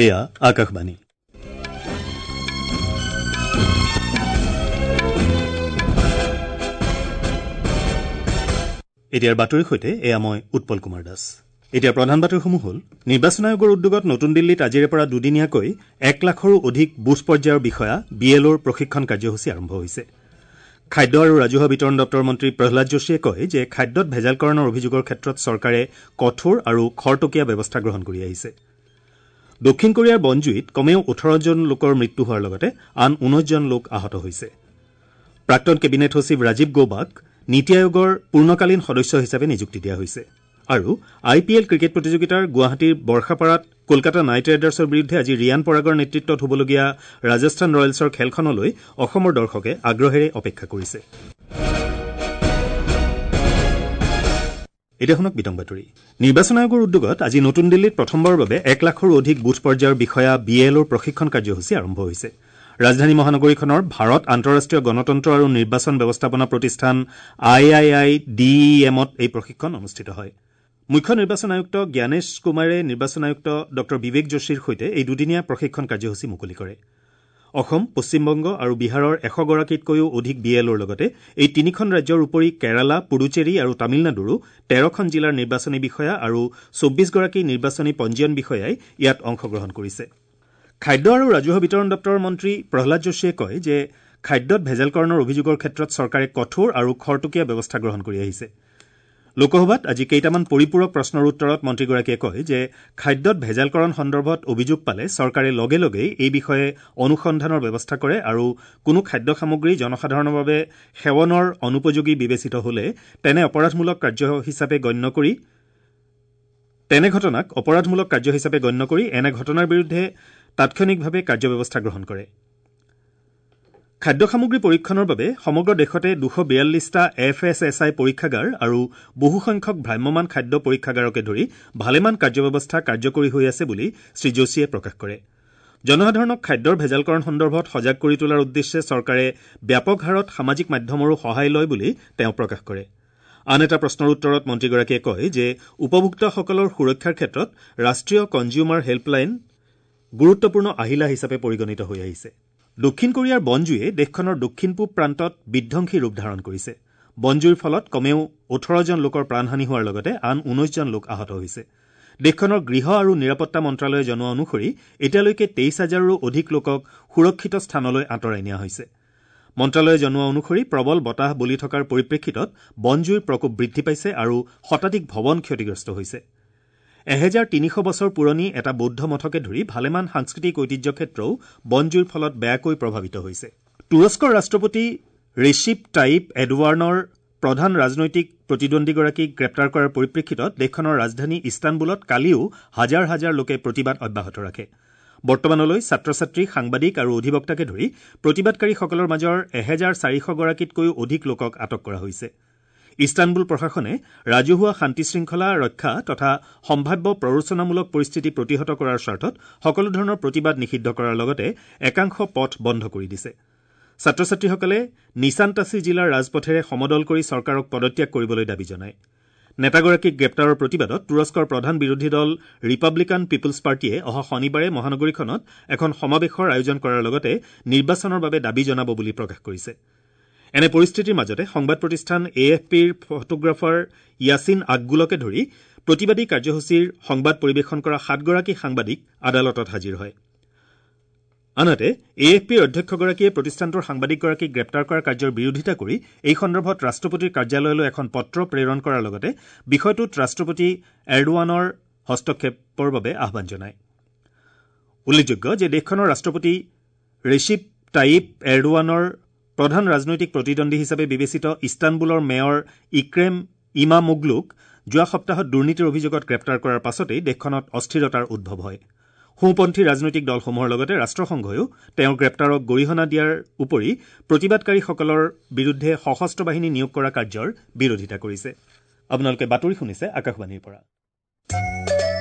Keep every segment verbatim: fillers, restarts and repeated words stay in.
এয়া আকাশবাণী। এতিয়াৰ বাতৰিৰ সৈতে এয়া মই উৎপল কুমাৰ দাস। এতিয়া প্ৰধান বাতৰিসমূহ হ'ল: নিৰ্বাচন আয়োগৰ উদ্যোগত নতুন দিল্লীত আজিৰে পৰা দুদিনীয়াকৈ এক লাখৰো অধিক বুথ পৰ্যায়ৰ বিষয়া বি এল অ'ৰ প্ৰশিক্ষণ কাৰ্যসূচী আৰম্ভ হৈছে। খাদ্য আৰু ৰাজহুৱা বিতৰণ দপ্তৰৰ মন্ত্ৰী প্ৰহ্লাদ যোশীয়ে কয় যে খাদ্যত ভেজালকৰণৰ অভিযোগৰ ক্ষেত্ৰত চৰকাৰে কঠোৰ আৰু খৰতকীয়া ব্যৱস্থা গ্ৰহণ কৰি আহিছে। দক্ষিণ কোৰিয়াৰ বনজুইত কমেও ওঠৰজন লোকৰ মৃত্যু হোৱাৰ লগতে আন ঊনৈছজন লোক আহত হৈছে। প্ৰাক্তন কেবিনেট সচিব ৰাজীৱ গৌবাক নীতি আয়োগৰ পূৰ্ণকালীন সদস্য হিচাপে নিযুক্তি দিয়া হৈছে। আৰু আই পি এল ক্ৰিকেট প্ৰতিযোগিতাৰ গুৱাহাটীৰ বৰ্ষাপাৰাত কলকাতা নাইট ৰাইডাৰ্ছৰ বিৰুদ্ধে আজি ৰিয়ান পৰাগৰ নেতৃত্বত হ'বলগীয়া ৰাজস্থান ৰয়েলছৰ খেলখনলৈ অসমৰ দৰ্শকে আগ্ৰহেৰে অপেক্ষা কৰিছে। এতিয়া শুনক বিতং বাতৰি। নিৰ্বাচন আয়োগৰ উদ্যোগত আজি নতুন দিল্লীত প্ৰথমবাৰৰ বাবে এক লাখৰো অধিক বুথ পৰ্যায়ৰ বিষয়া বি এল অ'ৰ প্ৰশিক্ষণ কাৰ্যসূচী আৰম্ভ হৈছে। ৰাজধানী মহানগৰীখনৰ ভাৰত আন্তঃৰাষ্ট্ৰীয় গণতন্ত্ৰ আৰু নিৰ্বাচন ব্যৱস্থাপনা প্ৰতিষ্ঠান আই আই I D E এমত এই প্ৰশিক্ষণ অনুষ্ঠিত হয়। মুখ্য নিৰ্বাচন আয়ুক্ত জ্ঞানেশ কুমাৰে নিৰ্বাচন আয়ুক্ত ডঃ বিবেক যোশীৰ সৈতে এই দুদিনীয়া প্ৰশিক্ষণ কাৰ্যসূচী মুকলি কৰে। অসম, পশ্চিমবংগ আৰু বিহাৰৰ এশগৰাকীতকৈও অধিক বি এল অ'ৰ লগতে এই তিনিখন ৰাজ্যৰ উপৰি কেৰালা, পুডুচেৰী আৰু তামিলনাডুৰো তেৰখন জিলাৰ নিৰ্বাচনী বিষয়া আৰু চৌব্বিছগৰাকী নিৰ্বাচনী পঞ্জীয়ন বিষয়াই ইয়াত অংশগ্ৰহণ কৰিছে। খাদ্য আৰু ৰাজহুৱা বিতৰণ দপ্তৰৰ মন্ত্ৰী প্ৰহ্লাদ যোশীয়ে কয় যে খাদ্যত ভেজালকৰণৰ অভিযোগৰ ক্ষেত্ৰত চৰকাৰে কঠোৰ আৰু খৰতকীয়া ব্যৱস্থা গ্ৰহণ কৰি আহিছে। লোকসভাত আজি কেইটামান পৰিপূৰক প্ৰশ্নৰ উত্তৰত মন্ত্ৰীগৰাকীয়ে কয় যে খাদ্যত ভেজালকৰণ সন্দৰ্ভত অভিযোগ পালে চৰকাৰে লগে লগেই এই বিষয়ে অনুসন্ধানৰ ব্যৱস্থা কৰে আৰু কোনো খাদ্য সামগ্ৰী জনসাধাৰণৰ বাবে সেৱনৰ অনুপযোগী বিবেচিত হলে তেনে অপৰাধমূলক কাৰ্য হিচাপে গণ্য কৰি তেনে ঘটনাক অপৰাধমূলক কাৰ্য হিচাপে গণ্য কৰি এনে ঘটনাৰ বিৰুদ্ধে তাৎক্ষণিকভাৱে কাৰ্যব্যৱস্থা গ্ৰহণ কৰে। খাদ্য সামগ্ৰী পৰীক্ষণৰ বাবে সমগ্ৰ দেশতে দুশ বিয়াল্লিছটা এফ এছ এছ I পৰীক্ষাগাৰ আৰু বহুসংখ্যক ভ্ৰাম্যমাণ খাদ্য পৰীক্ষাগাৰকে ধৰি ভালেমান কাৰ্যব্যৱস্থা কাৰ্যকৰী হৈ আছে বুলি শ্ৰীযোশীয়ে প্ৰকাশ কৰে। জনসাধাৰণক খাদ্যৰ ভেজালকৰণ সন্দৰ্ভত সজাগ কৰি তোলাৰ উদ্দেশ্যে চৰকাৰে ব্যাপক হাৰত সামাজিক মাধ্যমৰো সহায় লয় বুলি তেওঁ প্ৰকাশ কৰে। আন এটা প্ৰশ্নৰ উত্তৰত মন্ত্ৰীগৰাকীয়ে কয় যে উপভোক্তাসকলৰ সুৰক্ষাৰ ক্ষেত্ৰত ৰাষ্ট্ৰীয় কনজিউমাৰ হেল্পলাইন গুৰুত্বপূৰ্ণ আহিলা হিচাপে পৰিগণিত হৈ আহিছে। দক্ষিণ কোৰিয়াৰ বনজুয়ে দেশখনৰ দক্ষিণ পূব প্ৰান্তত বিধ্বংসী ৰূপ ধাৰণ কৰিছে। বনজুইৰ ফলত কমেও ওঠৰজন লোকৰ প্ৰাণহানি হোৱাৰ লগতে আন ঊনৈছজন লোক আহত হৈছে। দেশখনৰ গৃহ আৰু নিৰাপত্তা মন্ত্ৰালয়ে জনোৱা অনুসৰি এতিয়ালৈকে তেইছ হাজাৰৰো অধিক লোকক সুৰক্ষিত স্থানলৈ আঁতৰাই নিয়া হৈছে। মন্ত্ৰালয়ে জনোৱা অনুসৰি প্ৰবল বতাহ বলি থকাৰ পৰিপ্ৰেক্ষিতত বনজুইৰ প্ৰকোপ বৃদ্ধি পাইছে আৰু শতাধিক ভৱন ক্ষতিগ্ৰস্ত হৈছে। এহেজাৰ তিনিশ বছৰ পুৰণি এটা বৌদ্ধ মঠকে ধৰি ভালেমান সাংস্কৃতিক ঐতিহ্য ক্ষেত্ৰও বনজুইৰ ফলত বেয়াকৈ প্ৰভাৱিত হৈছে। তুৰস্কৰ ৰাষ্ট্ৰপতি ৰেচিপ টাইপ এডৱাৰ্ণৰ প্ৰধান ৰাজনৈতিক প্ৰতিদ্বন্দ্বীগৰাকীক গ্ৰেপ্তাৰ কৰাৰ পৰিপ্ৰেক্ষিতত দেশখনৰ ৰাজধানী ইস্তানবুলত কালিও হাজাৰ হাজাৰ লোকে প্ৰতিবাদ অব্যাহত ৰাখে। বৰ্তমানলৈ ছাত্ৰ ছাত্ৰী, সাংবাদিক আৰু অধিবক্তাকে ধৰি প্ৰতিবাদকাৰীসকলৰ মাজৰ এহেজাৰ চাৰিশগৰাকীতকৈও অধিক লোকক আটক কৰা হৈছে। ইস্তানবুল প্ৰশাসনে ৰাজহুৱা শান্তি শৃংখলা ৰক্ষা তথা সম্ভাৱ্য প্ৰৰোচনামূলক পৰিস্থিতি প্ৰতিহত কৰাৰ স্বাৰ্থত সকলো ধৰণৰ প্ৰতিবাদ নিষিদ্ধ কৰাৰ লগতে একাংশ পথ বন্ধ কৰি দিছে। ছাত্ৰ ছাত্ৰীসকলে নিচানতাচি জিলাৰ ৰাজপথেৰে সমদল কৰি চৰকাৰক পদত্যাগ কৰিবলৈ দাবী জনায়। নেতাগৰাকীক গ্ৰেপ্তাৰৰ প্ৰতিবাদত তুৰস্কৰ প্ৰধান বিৰোধী দল ৰিপাব্লিকান পিপলছ পাৰ্টীয়ে অহা শনিবাৰে মহানগৰীখনত এখন সমাৱেশৰ আয়োজন কৰাৰ লগতে নিৰ্বাচনৰ বাবে দাবী জনাব বুলি প্ৰকাশ কৰিছে। এনে পৰিস্থিতিৰ মাজতে সংবাদ প্ৰতিষ্ঠান এ এফ পিৰ ফটোগ্ৰাফাৰ য়াছিন আকগুলকে ধৰি প্ৰতিবাদী কাৰ্যসূচীৰ সংবাদ পৰিৱেশন কৰা সাতগৰাকী সাংবাদিক আদালতত হাজিৰ হয়। আনহাতে এ এফ পিৰ অধ্যক্ষগৰাকীয়ে প্ৰতিষ্ঠানটোৰ সাংবাদিকগৰাকীক গ্ৰেপ্তাৰ কৰা কাৰ্যৰ বিৰোধিতা কৰি এই সন্দৰ্ভত ৰাষ্ট্ৰপতিৰ কাৰ্যালয়লৈ এখন পত্ৰ প্ৰেৰণ কৰাৰ লগতে বিষয়টোত ৰাষ্ট্ৰপতি এৰডোৱানৰ হস্তক্ষেপৰ বাবে আহ্বান জনায়। উল্লেখযোগ্য যে দেশখনৰ ৰাষ্ট্ৰপতি ৰেচিপ টাইপ এৰডোৱানৰ প্ৰধান ৰাজনৈতিক প্ৰতিদ্বন্দ্বী হিচাপে বিবেচিত ইস্তানবুলৰ মেয়ৰ ইক্ৰেম ইমামোগলুক যোৱা সপ্তাহত দুৰ্নীতিৰ অভিযোগত গ্ৰেপ্তাৰ কৰাৰ পাছতেই দেশখনত অস্থিৰতাৰ উদ্ভৱ হয়। সোঁপন্থী ৰাজনৈতিক দলসমূহৰ লগতে ৰাষ্ট্ৰসংঘইও তেওঁৰ গ্ৰেপ্তাৰক গৰিহণা দিয়াৰ উপৰি প্ৰতিবাদকাৰীসকলৰ বিৰুদ্ধে সশস্ত্ৰ বাহিনী নিয়োগ কৰা কাৰ্যৰ বিৰোধিতা কৰিছে। আপোনালোকে বাতৰি শুনিছে আকাশবাণীৰ পৰা।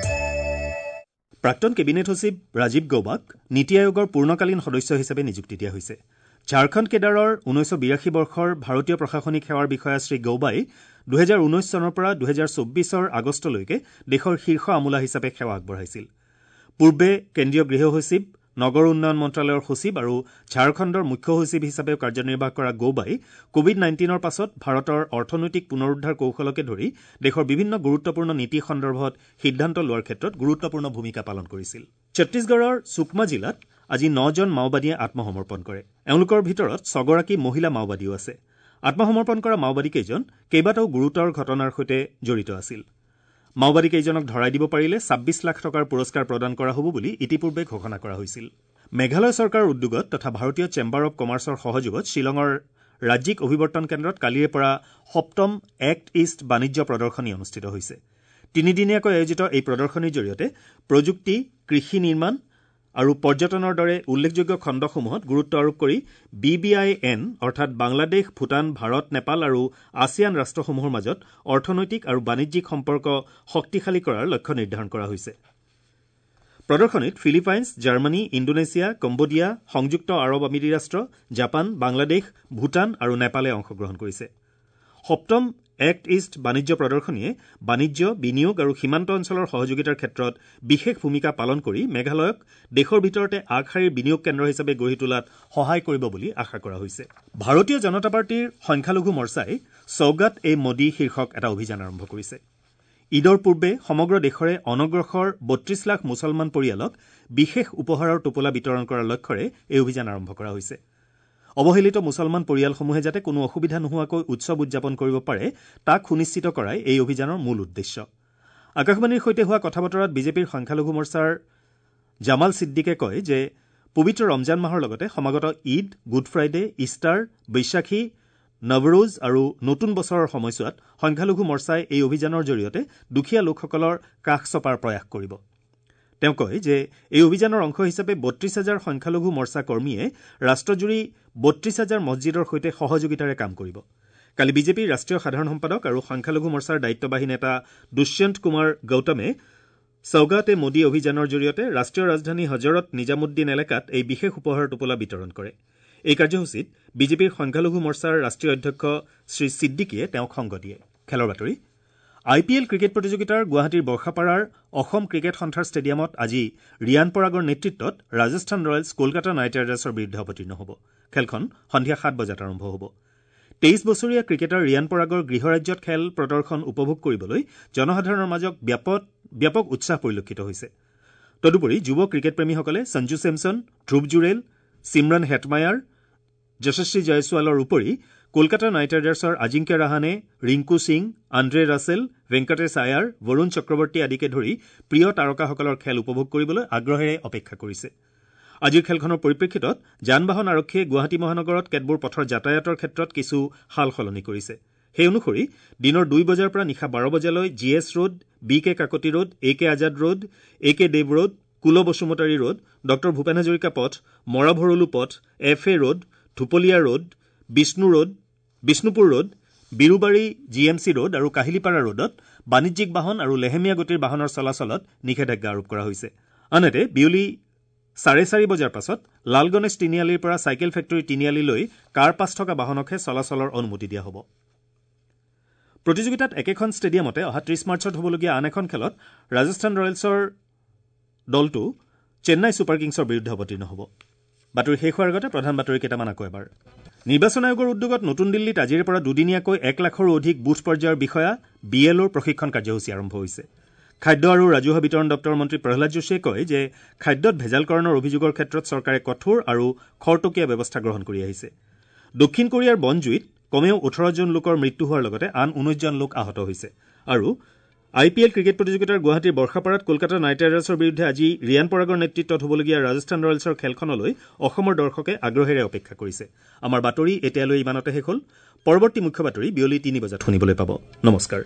প্ৰাক্তন কেবিনেট সচিব ৰাজীৱ গৌবাক নীতি আয়োগৰ পূৰ্ণকালীন সদস্য হিচাপে নিযুক্তি দিয়া হৈছে। ঝাৰখণ্ড কেডাৰৰ ঊনৈছশ বিৰাশী বৰ্ষৰ ভাৰতীয় প্ৰশাসনিক সেৱাৰ বিষয়া শ্ৰী গৌবাই দুহেজাৰ ঊনৈছ চনৰ পৰা দুহেজাৰ চৌব্বিছৰ আগষ্টলৈকে দেশৰ শীৰ্ষ আমোলা হিচাপে সেৱা আগবঢ়াইছিল। পূৰ্বে কেন্দ্ৰীয় গৃহ সচিব, নগৰ উন্নয়ন মন্ত্ৰালয়ৰ সচিব আৰু ঝাৰখণ্ডৰ মুখ্য সচিব হিচাপেও কাৰ্যনিৰ্বাহ কৰা গৌবাই কোভিড নাইণ্টিনৰ পাছত ভাৰতৰ অৰ্থনৈতিক পুনৰুদ্ধাৰ কৌশলকে ধৰি দেশৰ বিভিন্ন গুৰুত্বপূৰ্ণ নীতি সন্দৰ্ভত সিদ্ধান্ত লোৱাৰ ক্ষেত্ৰত গুৰুত্বপূৰ্ণ ভূমিকা পালন কৰিছিল। ছত্তীশগড়ৰ চুকমা জিলাত আজি নজন মাওবাদীয়ে আত্মসমৰ্পণ কৰে। এওঁলোকৰ ভিতৰত ছগৰাকী মহিলা মাওবাদীও আছে। আত্মসমৰ্পণ কৰা মাওবাদীকেইজন কেইবাটাও গুৰুতৰ ঘটনাৰ সৈতে জড়িত আছিল। মাওবাদীকেইজনক ধৰাই দিব পাৰিলে ছাব্বিছ লাখ টকাৰ পুৰস্কাৰ প্ৰদান কৰা হ'ব বুলি ইতিপূৰ্বে ঘোষণা কৰা হৈছিল। মেঘালয় চৰকাৰৰ উদ্যোগত তথা ভাৰতীয় চেম্বাৰ অৱ কমাৰ্চৰ সহযোগত শ্বিলঙৰ ৰাজ্যিক অভিৱৰ্তন কেন্দ্ৰত কালিৰে পৰা সপ্তম এক্ট ইষ্ট বাণিজ্য প্ৰদৰ্শনী অনুষ্ঠিত হৈছে। তিনিদিনীয়াকৈ আয়োজিত এই প্ৰদৰ্শনীৰ জৰিয়তে প্ৰযুক্তি, কৃষি নিৰ্মাণ আৰু পৰ্যটনৰ দৰে উল্লেখযোগ্য খণ্ডসমূহত গুৰুত্ব আৰোপ কৰি বি বি আই এন অৰ্থাৎ বাংলাদেশ, ভূটান, ভাৰত, নেপাল আৰু আছিয়ান ৰাষ্ট্ৰসমূহৰ মাজত অৰ্থনৈতিক আৰু বাণিজ্যিক সম্পৰ্ক শক্তিশালী কৰাৰ লক্ষ্য নিৰ্ধাৰণ কৰা হৈছে। প্ৰদৰ্শনীত ফিলিপাইনছ, জাৰ্মানী, ইণ্ডোনেছিয়া, কম্বোডিয়া, সংযুক্ত আৰৱ আমিৰি ৰাষ্ট্ৰ, জাপান, বাংলাদেশ, ভূটান আৰু নেপালে অংশগ্ৰহণ কৰিছে। সপ্তম এক্ট ইষ্ট বাণিজ্য প্ৰদৰ্শনীয়ে বাণিজ্য, বিনিয়োগ আৰু সীমান্ত অঞ্চলৰ সহযোগিতাৰ ক্ষেত্ৰত বিশেষ ভূমিকা পালন কৰি মেঘালয়ক দেশৰ ভিতৰতে আগশাৰীৰ বিনিয়োগ কেন্দ্ৰ হিচাপে গঢ়ি তোলাত সহায় কৰিব বুলি আশা কৰা হৈছে। ভাৰতীয় জনতা পাৰ্টীৰ সংখ্যালঘু মৰ্চাই সৌগাত এ মোদী শীৰ্ষক এটা অভিযান আৰম্ভ কৰিছে। ঈদৰ পূৰ্বে সমগ্ৰ দেশৰে অনগ্ৰসৰ বত্ৰিশ লাখ মুছলমান পৰিয়ালক বিশেষ উপহাৰৰ টোপোলা বিতৰণ কৰাৰ লক্ষ্যৰে এই অভিযান আৰম্ভ কৰা হৈছে। অৱহেলিত মুছলমান পৰিয়ালসমূহে যাতে কোনো অসুবিধা নোহোৱাকৈ উৎসৱ উদযাপন কৰিব পাৰে তাক সুনিশ্চিত কৰাই এই অভিযানৰ মূল উদ্দেশ্য। আকাশবাণীৰ সৈতে হোৱা কথা বতৰাত বিজেপিৰ সংখ্যালঘু মৰ্চাৰ জামাল ছিদ্দিকে কয় যে পবিত্ৰ ৰমজান মাহৰ লগতে সমাগত Eid, Good Friday, Easter, Baisakhi, Navroz আৰু নতুন বছৰৰ সময়ছোৱাত সংখ্যালঘু মৰ্চাই এই অভিযানৰ জৰিয়তে দুখীয়া লোকসকলৰ কাষ চপাৰ প্ৰয়াস কৰিব। তেওঁ কয় যে এই অভিযানৰ অংশ হিচাপে বত্ৰিশ হাজাৰ সংখ্যালঘু মৰ্চা কৰ্মীয়ে ৰাষ্ট্ৰজুৰি বত্ৰিশ হাজাৰ মছজিদৰ সৈতে সহযোগিতাৰে কাম কৰিব। কালি বিজেপিৰ ৰাষ্ট্ৰীয় সাধাৰণ সম্পাদক আৰু সংখ্যালঘু মৰ্চাৰ দায়িত্ববাহী নেতা দুষ্যন্ত কুমাৰ গৌতমে সৌগাত এ মোদী অভিযানৰ জৰিয়তে ৰাষ্ট্ৰীয় ৰাজধানী হজৰত নিজামুদ্দিন এলেকাত এই বিশেষ উপহাৰৰ টোপোলা বিতৰণ কৰে। এই কাৰ্যসূচীত বিজেপিৰ সংখ্যালঘু মৰ্চাৰ ৰাষ্ট্ৰীয় অধ্যক্ষ শ্ৰী ছিদ্দিকীয়ে তেওঁক সংগ দিয়ে। খেলৰ বাতৰি। আই পি এল ক্ৰিকেট প্ৰতিযোগিতাৰ গুৱাহাটীৰ বৰ্ষাপাৰাৰ অসম ক্ৰিকেট সন্থাৰ ষ্টেডিয়ামত আজি ৰিয়ান পৰাগৰ নেতৃত্বত ৰাজস্থান ৰয়েলছ কলকাতা নাইট ৰাইডাৰ্ছৰ বিৰুদ্ধে অৱতীৰ্ণ হ'ব। খেলখন সন্ধিয়া সাত বজাত আৰম্ভ হ'ব। তেইছ বছৰীয়া ক্ৰিকেটাৰ ৰিয়ান পৰাগৰ গৃহৰাজ্যত খেল প্ৰদৰ্শন উপভোগ কৰিবলৈ জনসাধাৰণৰ মাজত ব্যাপক ব্যাপক উৎসাহ পৰিলক্ষিত হৈছে। তদুপৰি যুৱ ক্ৰিকেটপ্ৰেমীসকলে সঞ্জু চেমছন, ধ্ৰুৱ জুৰেল, চিমৰান হেটমায়াৰ, যশস্বী জয়ছোৱালৰ উপৰি কলকাতা নাইট ৰাইডাৰ্ছৰ আজিংক্য ৰাহানে, ৰিংকু সিং, আন্দ্ৰে ৰাছেল, ভেংকটেশ আয়াৰ, বৰুণ চক্ৰৱৰ্তী আদিকে ধৰি প্ৰিয় তাৰকাসকলৰ খেল উপভোগ কৰিবলৈ আগ্ৰহেৰে অপেক্ষা কৰিছে। আজিৰ খেলখনৰ পৰিপ্ৰেক্ষিতত যান বাহন আৰক্ষীয়ে গুৱাহাটী মহানগৰত কেতবোৰ পথৰ যাতায়াতৰ ক্ষেত্ৰত কিছু সাল সলনি কৰিছে। সেই অনুসৰি দিনৰ দুই বজাৰ পৰা নিশা বাৰ বজালৈ G S road, B K Kakati road, A K Azad road, A K Deb road, Kul Basumatary road, doctor Bhupen Hazarika পথ, মৰাভৰলু পথ, F A road, Dhupalia road, Bishnu road, Bishnupur road, Birubari G M C road আৰু কাহিলীপাৰা ৰোডত বাণিজ্যিক বাহন আৰু লেহেমীয়া গতিৰ বাহনৰ চলাচলত নিষেধাজ্ঞা আৰোপ কৰা হৈছে। আনহাতে বিয়লি চাৰে চাৰি বজাৰ পাছত লালগণেশ তিনিআলিৰ পৰা চাইকেল ফেক্টৰী তিনিআলিলৈ কাৰ পাছ থকা বাহনকহে চলাচলৰ অনুমতি দিয়া হ'ব। প্ৰতিযোগিতাত একেখন ষ্টেডিয়ামতে অহা ত্ৰিশ মাৰ্চত হ'বলগীয়া আন এখন খেলত ৰাজস্থান ৰয়েলছৰ দলটো চেন্নাই ছুপাৰ কিংছৰ বিৰুদ্ধে অৱতীৰ্ণ হ'ব। বাতৰি শেষ হোৱাৰ আগতে প্ৰধান বাতৰি কেইটামান আকৌ এবাৰ। নিৰ্বাচন আয়োগৰ উদ্যোগত নতুন দিল্লীত আজিৰে পৰা দুদিনীয়াকৈ এক লাখৰো অধিক বুথ পৰ্যায়ৰ বিষয়া বি এল অ'ৰ প্ৰশিক্ষণ কাৰ্যসূচী আৰম্ভ হৈছে। খাদ্য আৰু ৰাজহুৱা বিতৰণ দপ্তৰৰ মন্ত্ৰী প্ৰহ্লাদ যোশীয়ে কয় যে খাদ্যত ভেজালকৰণৰ অভিযোগৰ ক্ষেত্ৰত চৰকাৰে কঠোৰ আৰু খৰতকীয়া ব্যৱস্থা গ্ৰহণ কৰি আহিছে। দক্ষিণ কোৰিয়াৰ বনজুইত কমেও ওঠৰজন লোকৰ মৃত্যু হোৱাৰ লগতে আন ঊনৈছজন লোক আহত হৈছে। আৰু আই পি এল ক্ৰিকেট প্ৰতিযোগিতাৰ গুৱাহাটীৰ বৰ্ষাপাৰাত কলকাতা নাইট ৰাইডাৰ্ছৰ বিৰুদ্ধে আজি ৰিয়ান পৰাগৰ নেতৃত্বত হ'বলগীয়া ৰাজস্থান ৰয়েলছৰ খেলখনলৈ অসমৰ দৰ্শকে আগ্ৰহেৰে অপেক্ষা কৰিছে। আমাৰ বাতৰি এতিয়ালৈ ইমানতে শেষ হ'ল। পৰৱৰ্তী মুখ্য বাতৰি বিয়লি তিনি বজাত শুনিবলৈ পাব। নমস্কাৰ।